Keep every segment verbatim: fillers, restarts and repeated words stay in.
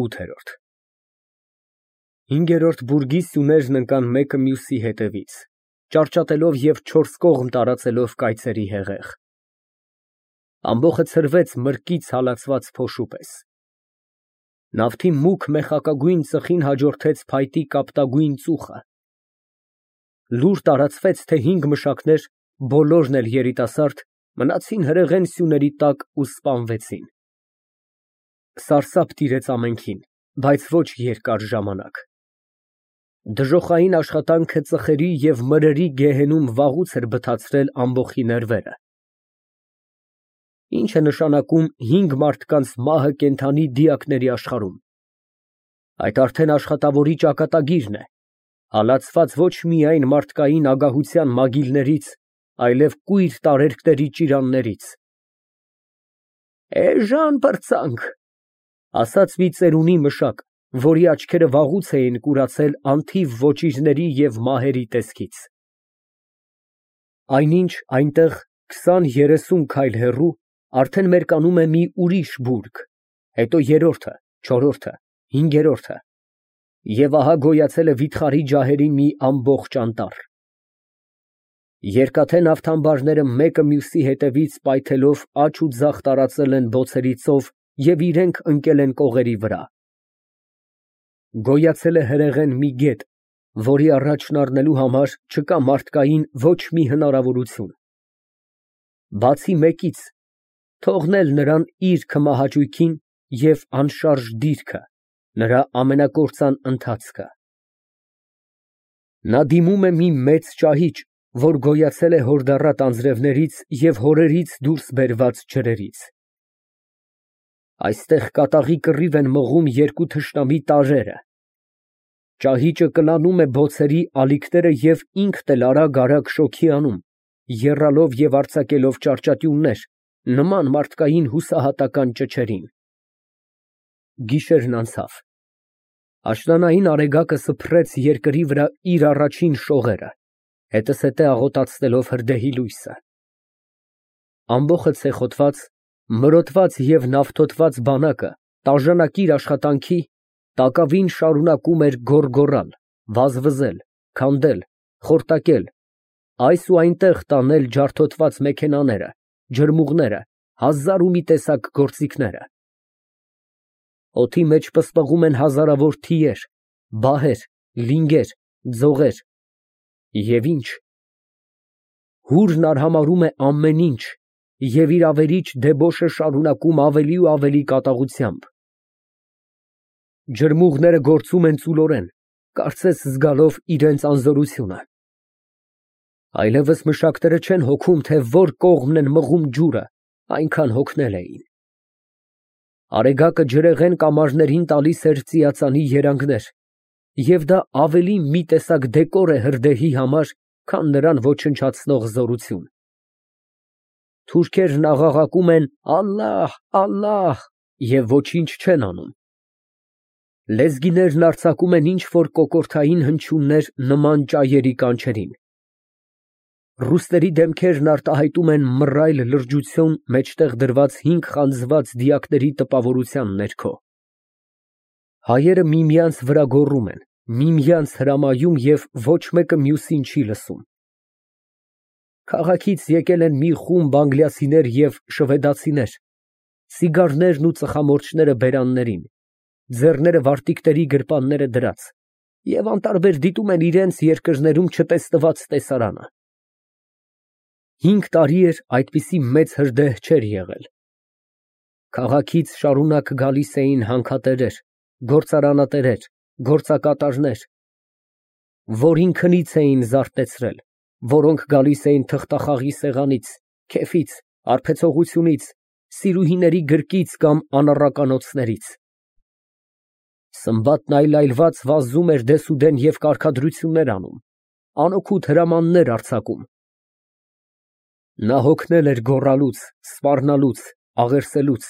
ՈՒԹԵՐՈՐԴ Հինգերորդ բուրգի սյուներն ընկան մեկը մյուսի հետևից, ճարճատելով և չորս կողմ տարածելով կայծերի հեղեղ. ամբոխը ցրվեց մրկից հալածված փոշու պես. նավթի մուգ մեխակագույն ծխին հաջորդեց փայտի կապտագույն ծուխը, լուր տարածվեց, թե հինգ մշակներ, բոլորն էլ երիտասարդ, մնացին հրեղեն սյուների տակ ու սպանվեցին։ Սարսափ տիրեց ամենքին, բայց ոչ երկար ժամանակ։ Դժոխային աշխատանքը ծխերի և մրրի գեհենում վաղուց էր բթացրել ամբոխի ներվերը։ Ի՞նչ է նշանակում հինգ մարդկանց մահը կենդանի դիակների աշխարհում։ Այդ արդեն աշխատավորի ճակատագիրն է, հալածված ոչ միայն մարդկային ագահության մագիլներից, այլև կույր տարերկների ճիրաններից։ Էժան պրծանք, ասաց մի ծերունի մշակ, որի աչքերը վաղուց էին կուրացել անթիվ ոճիրների և մահերի տեսքից։ Այնինչ այնտեղ քսան երեսուն քայլ հեռու արդեն մերկանում է մի ուրիշ բուրգ, հետո երրորդը, չորրորդը, հինգերորդը, և ահա գոյացել է վիթխարի ջահերի մի ամբողջ անտառ։ Երկաթե նավթամբարները մեկը մյուսի հետևից պայթելով աջ ու ձախ տարածել են բոցերի ծով և իրենք ընկել են կողերի վրա։ Գոյացել է հրեղեն մի գետ, որի առաջն առնելու համար չկա մարդկային ոչ մի հնարավորություն։ Բացի մեկից, թողնել նրան իր քմահաճույքին և անշարժ դիրքը, նրա ամենակործան ընթացքը։ Նա դիմում է մի մեծ ճահիճ, որ գոյացել է հորդառատ անձրևներից և հորերից դուրս բերված ջրերից։ Այստեղ կատաղի կռիվ են մղում երկու թշնամի տարրերը։ Ճահիճը կլանում է բոցերի ալիքները և ինքն էլ արագ֊արագ շոգի անում, եռալով և արձակելով ճարճատյուններ, նման մարդկային հուսահատական ճչերին։ Գիշերն անցավ։ Աշնանային արեգակը սփռեց երկրի վրա իր առաջին շողերը, հետզհետե աղոտացնելով հրդեհի լույսը։ Ամբոխը ցեխոտված, մրոտված և նավթոտված բանակը տաժանակիր աշխատանքի, տակավին շարունակում էր գոռգոռալ, վազվզել, քանդել, խորտակել, այս ու այնտեղ տանել ջարդոտված մեքենաները, ջրմուղները, հազար ու մի տեսակ գործիքները։ Օդի մեջ պսպղում են հազարավոր թիեր, բահեր, լինգեր, ձողեր, և ի՞նչ։ Հուրն արհամարհում է ամեն ինչ և իր ավերիչ դեբոշը շարունակում ավելի ու ավելի կատաղությամբ։ Ջրմուղները գործում են ծուլորեն, կարծես զգալով իրենց անզորությունը։ Այլևս մշակները չեն հոգում, թե որ կողմն են մղում ջուրը, այնքան հոգնել էին։ Արեգակը ջրեղեն կամարներին տալիս էր ծիածանի երանգներ, և դա ավելի մի տեսակ դեկոր է հրդեհի համար, քան նրան ոչնչացնող զորություն։ Թուրքերն աղաղակում են «Ալլահ, ալլահ» և ոչինչ չեն անում։ Լեզգիներն արձակում են ինչ֊որ կոկորդային հնչյուններ նման ճայերի կանչերին։ Ռուսների դեմքերն արտահայտում են մռայլ լրջություն մեջտեղ դրված հինգ խանձված դիակների տպավորության ներքո։ Հայերը միմյանց վրա գոռում են, միմյանց հրամայում և ոչ մեկը մյուսին չի լսում։ Քաղաքից եկել են մի խումբ անգլիացիներ և շվեդացիներ, ցիգարներն ու ծխամորճները բերաններին, ձեռները վարտիքների գրպանները դրած, և անտարբեր դիտում են իրենց երկրներում չտեսնված տեսարանը։ Հինգ տարի էր այդպիսի մեծ հրդեհ չէր եղել։ Քաղաքից շարունակ գալիս էին հանքատերեր, գործարանատերեր, գործակատարներ, որ ինքնից էին զարթեցրել, որոնք գալիս էին թղթախաղի սեղանից, քեֆից, հարբեցողությունից, սիրուհիների գրկից կամ անառականոցներից։ Սմբատն այլայլված վազում էր դեսուդեն և կարգադրություններ անում, անօգուտ հրամաններ արձակում։ Նա հոգնել էր գոռալուց, սպառնալուց, աղերսելուց։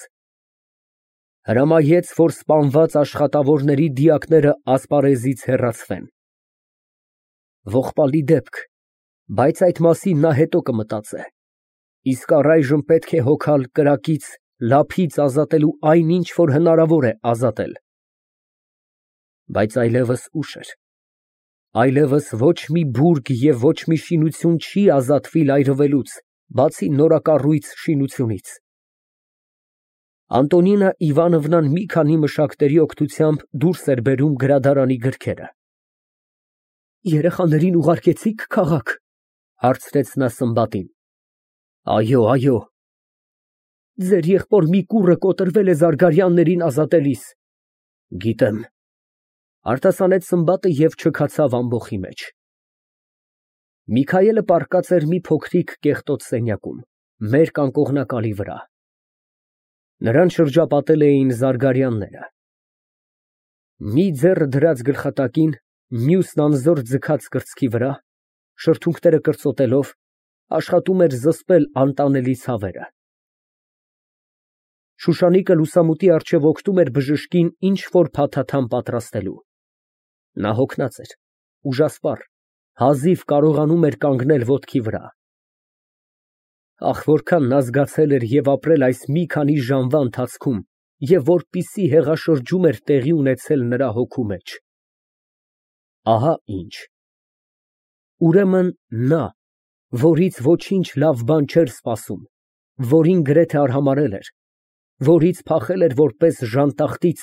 Հրամայեց, որ սպանված աշխատավորների դիակները ասպարեզից հեռացվեն։ Ողբալի դեպք, բայց այդ մասին նա հետո կմտածե, իսկ առայժմ պետք է հոգալ կրակից, լափից ազատելու այն ինչ, որ հնարավոր է ազատել։ Բայց այլևս ուշ էր։ Այլևս ոչ մի բուրգ և ոչ մի շինություն չի ազատվի լայրվելուց, բացի նորակառույց շինությունից։ Անտոնինա Իվանովնան մի քանի մշակների օգնությամբ դուրս էր բերում գրադարանի գրքերը։ Երեխաներին ուղարկեցի՞ք քաղաք, հարցրեց նա Սմբատին։ Այո, այո։ Ձեր եղբոր մի կուռը կոտրվել է Զարգարյաններին ազատելիս։ Գիտեմ, արտասանեց Սմբատը և չքացավ ամբոխի մեջ։ Միքայելը պառկած էր մի փոքրիկ կեղտոտ սենյակում, մերկ անկողնակալի վրա։ Նրան շրջապատել էին Զարգարյանները։ Մի ձեռը դրած գլխատակին, մյուսն անզոր ձգած կրծքի վրա, շրթունքները կրծոտելով, աշխատում էր զսպել անտանելի ցավերը։ Շուշանիկը լուսամուտի առջև օգնում էր բժշկին ինչ֊որ փաթաթամ պատրաստելու։ Նա հոգնած էր, ուժասպառ, հազիվ կարողանում էր կանգնել ոտքի վրա։ Ախ, որքան նա զգացել էր և ապրել այս մի քանի ժամվա ընթացքում, և որպիսի հեղաշրջում էր տեղի ունեցել նրա հոգու մեջ։ Ահա ինչ։ Ուրեմն նա, որից ոչինչ լավ բան չէր սպասում, որին գրեթե արհամարհել էր, որից փախել էր որպես ժանտախտից,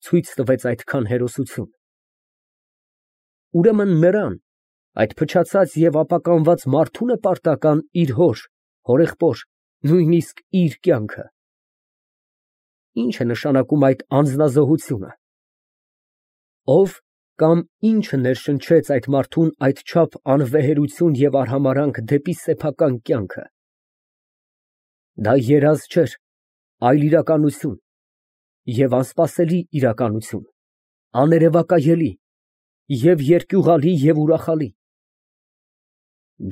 ցույց տվեց այդքան հերոսություն։ Ուրեմն նրան, այդ փչացած և ապականված մարդո՞ւն է պարտական իր հոր, հորեղբոր, նույնիսկ իր կյանքը։ Ի՞նչ է նշանակում այդ անձնազոհությունը։ Ո՞վ կամ ի՞նչը ներշնչեց այդ մարդուն այդչափ անվեհերություն և արհամարհանք դեպի սեփական կյանքը։ Դա երազ չէր, այլ իրականություն, և անսպասելի իրականություն, աներևակայելի, և երկյուղալի և ուրախալի։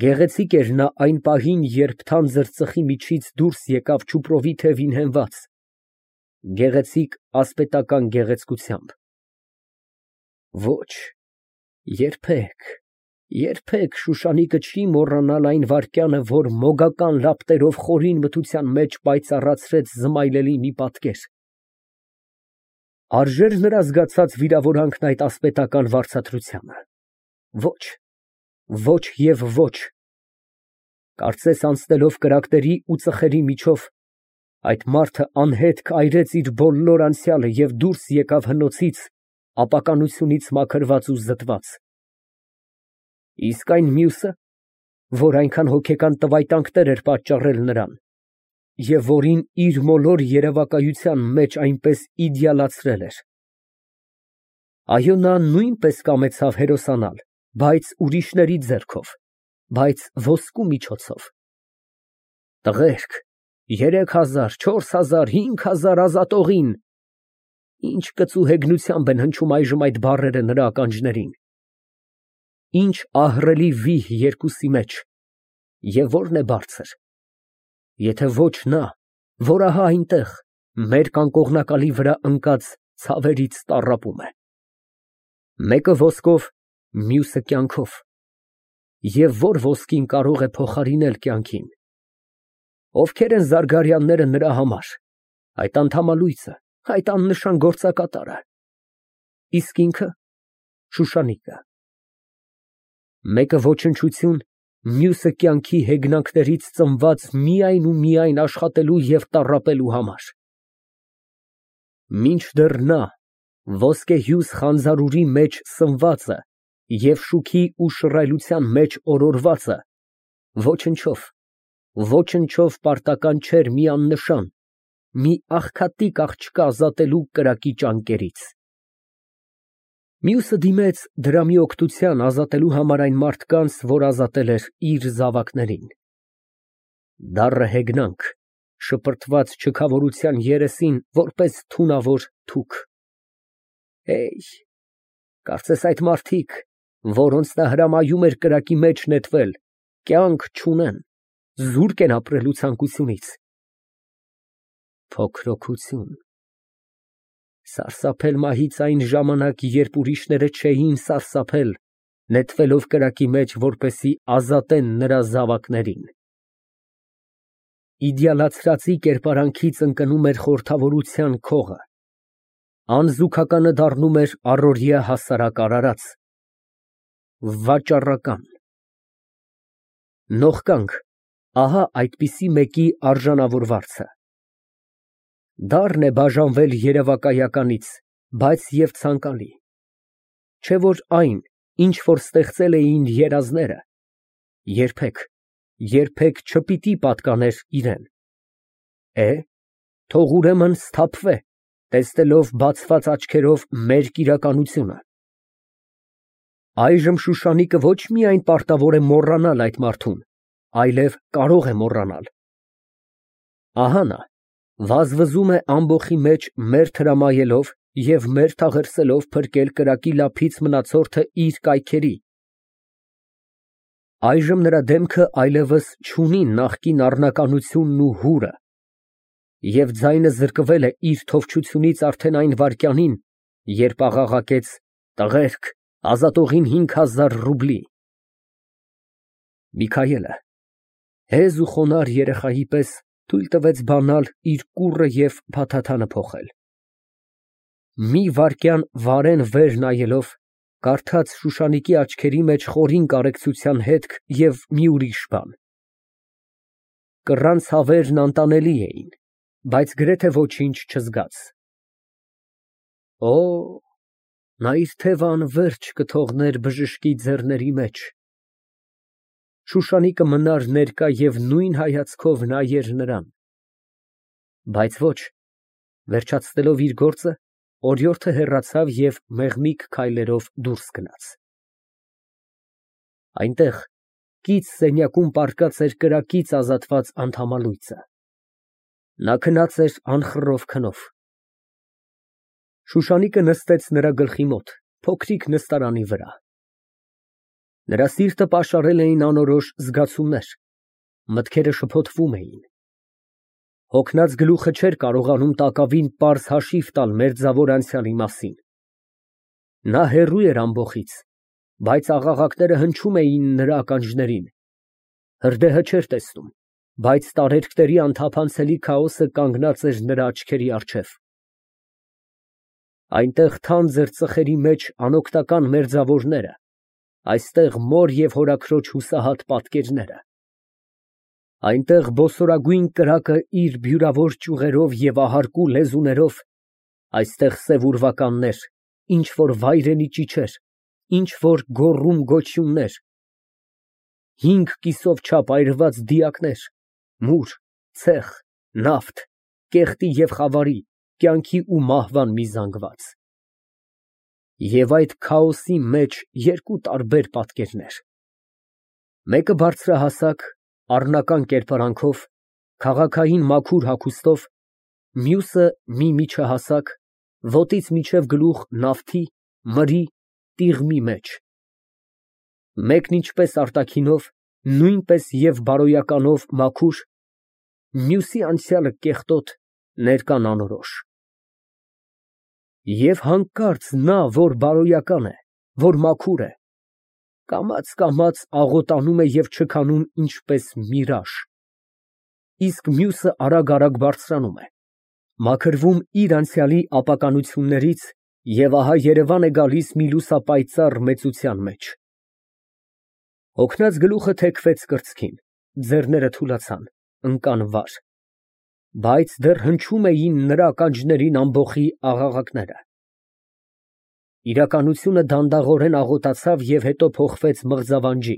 Գեղեցիկ էր նա այն պահին, երբ թանձր ծխի միջից դուրս եկավ չուպրովի թևին հենված, գեղեցիկ ասպետական գեղեցկությամբ։ Ոչ, երբեք, երբեք Շուշանիկը չի մոռանալ այն վայրկյանը, որ մոգական լապտերով խորին մթության մեջ պայծառացրեց զմայլելի մի պատկեր։ Արժե՞ր նրա զգացած վիրավորանքն այդ ասպետական վարձատրությանը։ Ոչ, ոչ և ոչ։ Կարծես անցնելով կրակների ու ծխերի միջով, այդ մարդը անհետ քայրեց իր բոլոր անցյալը և դուրս եկավ հնոցից, ապականությունից մաքրված ու զտված։ Իսկ այն մյուսը, որ այնքան հոգեկան տվայտանքներ էր պատճառել նրան, և որին իր մոլոր երևակայության մեջ այնպես իդեալացրել էր։ Այո, նա նույնպես կամեցավ հերոսանալ, բայց ուրիշների ձեռքով, բայց ոսկու միջոցով։ Տղերք, երեք հազար, չորս հազար, հինգ հազար ազատողին… Ինչ կծու հեգնությամբ են հնչում այժմ այդ բառերը նրա ականջներին։ Ինչ ահռելի վիհ երկուսի մեջ, և ո՞րն է բարձր, եթե ոչ նա, որ ահա այնտեղ, մերկ անկողնակալի վրա ընկած ցավերից տառապում է։ Մեկը ոսկով, մյուսը կյանքով, և ո՞ր ոսկին կարող է փոխարինել կյանքին։ Ովքե՞ր են Զարգարյանները նրա համար, այդ անդամալույսը, այդ աննշան գործակատարը։ Իսկ ինքը… Շուշանիկը։ Մեկը ոչնչություն, մյուսը կյանքի հեգնանքներից ծնված միայն ու միայն աշխատելու և տառապելու համար։ Մինչդեռ նա, ոսկեհյուս խանձարուրի մեջ սնվածը և շուքի ու շռայլության մեջ օրորվածը, ոչնչով, ոչնչով պարտական չէր մի աննշան, մի աղքատիկ աղջկա ազատելու կրակի ճանկերից։ Մյուսը դիմեց դրամի օգնության ազատելու համար այն մարդկանց, որ ազատել էր իր զավակներին։ Դառը հեգնանք, շպրտված չքավորության երեսին, որպես թունավոր թուք։ Հեյ, կարծես այդ մարդիկ, որոնց նա հրամայում էր կրակի մեջ նետվել, կյանք չունեն, զուրկ են ապրելու ցանկությունից։ Փոքրոքություն… Սարսափել մահից այն ժամանակ, երբ ուրիշները չէին սարսափել, նետվելով կրակի մեջ, որպեսզի ազատեն նրա զավակներին։ Իդեալացրածի կերպարանքից ընկնում էր խորհրդավորության քողը, Անզուգականը դառնում էր առօրյա հասարակ արարած, վաճառական։ Նողկանք, ահա այդպիսի մեկի արժանավոր վարձը։ Դառն է բաժանվել երևակայականից, բայց և ցանկալի, չէ՞ որ այն, ինչ որ ստեղծել էին երազները, երբեք, երբեք չպիտի պատկաներ իրան։ Է, թող ուրեմն սթափվե, տեսնելով բացված աչքերով մերկ իրականությունը։ Այժմ Շուշանիկը ոչ միայն պարտավոր է մոռանալ այդ մարդուն, այլև կարող է մոռանալ։ Ահա նա վազվզում է ամբոխի մեջ մերթ հրամայելով և մերթ աղերսելով փրկել կրակի լափից մնացորդը իր կայքերի։ Այժմ նրա դեմքը այլևս չունի նախկին առնականությունն ու հուրը, և ձայնը զրկվել է իր թովչությունից արդեն այն վայրկյանին, երբ աղաղակեց. «Տղերք, ազատողին հինգ հազար ռուբլի»։ Միքայելը հեզ ու խոնարհ երեխայի պես թույլ տվեց բանալ իր կուռը և փաթաթանը փոխել։ Մի վայրկյան վարեն վեր նայելով, կարդաց Շուշանիկի աչքերի մեջ խորին կարեկցության հետք և մի ուրիշ բան։ Կռան ցավերն անտանելի էին, բայց գրեթե ոչինչ չզգաց։ Օ, նա իր թևը անվերջ կթողներ բժշկի ձեռների մեջ։ Շուշանիկը մնար ներկա և նույն հայացքով նայեր նրան։ Բայց ոչ, վերջացնելով իր գործը, օրիորդը հեռացավ և մեղմիկ քայլերով դուրս գնաց։ Այնտեղ կից սենյակում պառկած էր կրակից ազատված անդամալույծը։ Նա քնած էր անխռով քնով։ Շուշանիկը նստեց նրա գլխի մոտ, փոքրիկ նստարանի վրա։ Նրա սիրտը պաշարել էին անորոշ զգացումներ, մտքերը շփոթվում էին։ Հոգնած գլուխը չէր կարողանում տակավին պարզ հաշիվ տալ մերձավոր անցյալի մասին։ Նա հեռու էր ամբոխից, բայց աղաղակները հնչում էին նրա ականջներին։ Հրդեհը չէր տեսնում, բայց տարերկների անթափանցելի քաոսը կանգնած էր նրա աչքերի առջև։ Այնտեղ թանձր ծխերի մեջ անօգնական մերձավորները, այստեղ մոր և հորաքրոջ հուսահատ պատկերները։ Այնտեղ բոսորագույն կրակը իր բյուրավոր ճյուղերով և ահարկու լեզուներով, այստեղ սև ուրվականներ, ինչ որ վայրենի ճիչեր, ինչ որ գոռում գոչյուններ, հինգ կիսով չափ այրված դիակներ, մուր, ցեխ, նավթ, կեղտի և խավարի, կյանքի ու մահվան մի զանգված։ Եվ այդ քաոսի մեջ երկու տարբեր պատկերներ. մեկը բարձրահասակ, առնական կերպարանքով, քաղաքային մաքուր հագուստով, մյուսը մի միջահասակ, ոտից մինչև գլուխ նավթի, մրի, տիղմի մեջ, մեկն ինչպես արտաքինով, նույնպես և բարոյականով մաքուր, մյուսի անցյալը կեղտոտ, ներկան անորոշ։ Եվ հանկարծ նա, որ բարոյական է, որ մաքուր է, կամաց֊կամաց աղոտանում է և չքանում ինչպես միրաժ, իսկ մյուսը արագ֊արագ բարձրանում է, մաքրվում իր անցյալի ապականություններից և ահա երևան է գալիս մի լուսապայծառ մեծության մեջ։ Հոգնած գլուխը թեքվեց կրծքին, ձեռները թուլացան, ընկան վար, բայց դեռ հնչում էին նրա ականջներին ամբոխի աղաղակները։ Իրականությունը դանդաղորեն աղոտացավ և հետո փոխվեց մղձավանջի։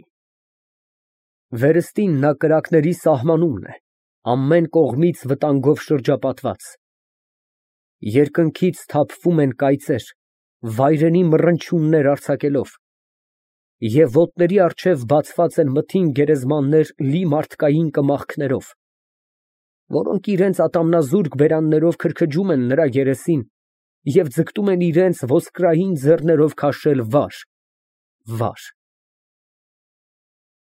Վերստին նա կրակների սահմանումն է, ամեն կողմից վտանգով շրջապատված։ Երկնքից թափվում են կայծեր, վայրենի մռնչյուններ արձակելով, և ոտների առջև բացված են մթին գերեզմաններ լի մարդկային կմախքներով, որոնք իրենց ատամնազուրկ բերաններով քրքջում են նրա երեսին և ձգտում են իրենց ոսկրային ձեռներով քաշել վար, վար։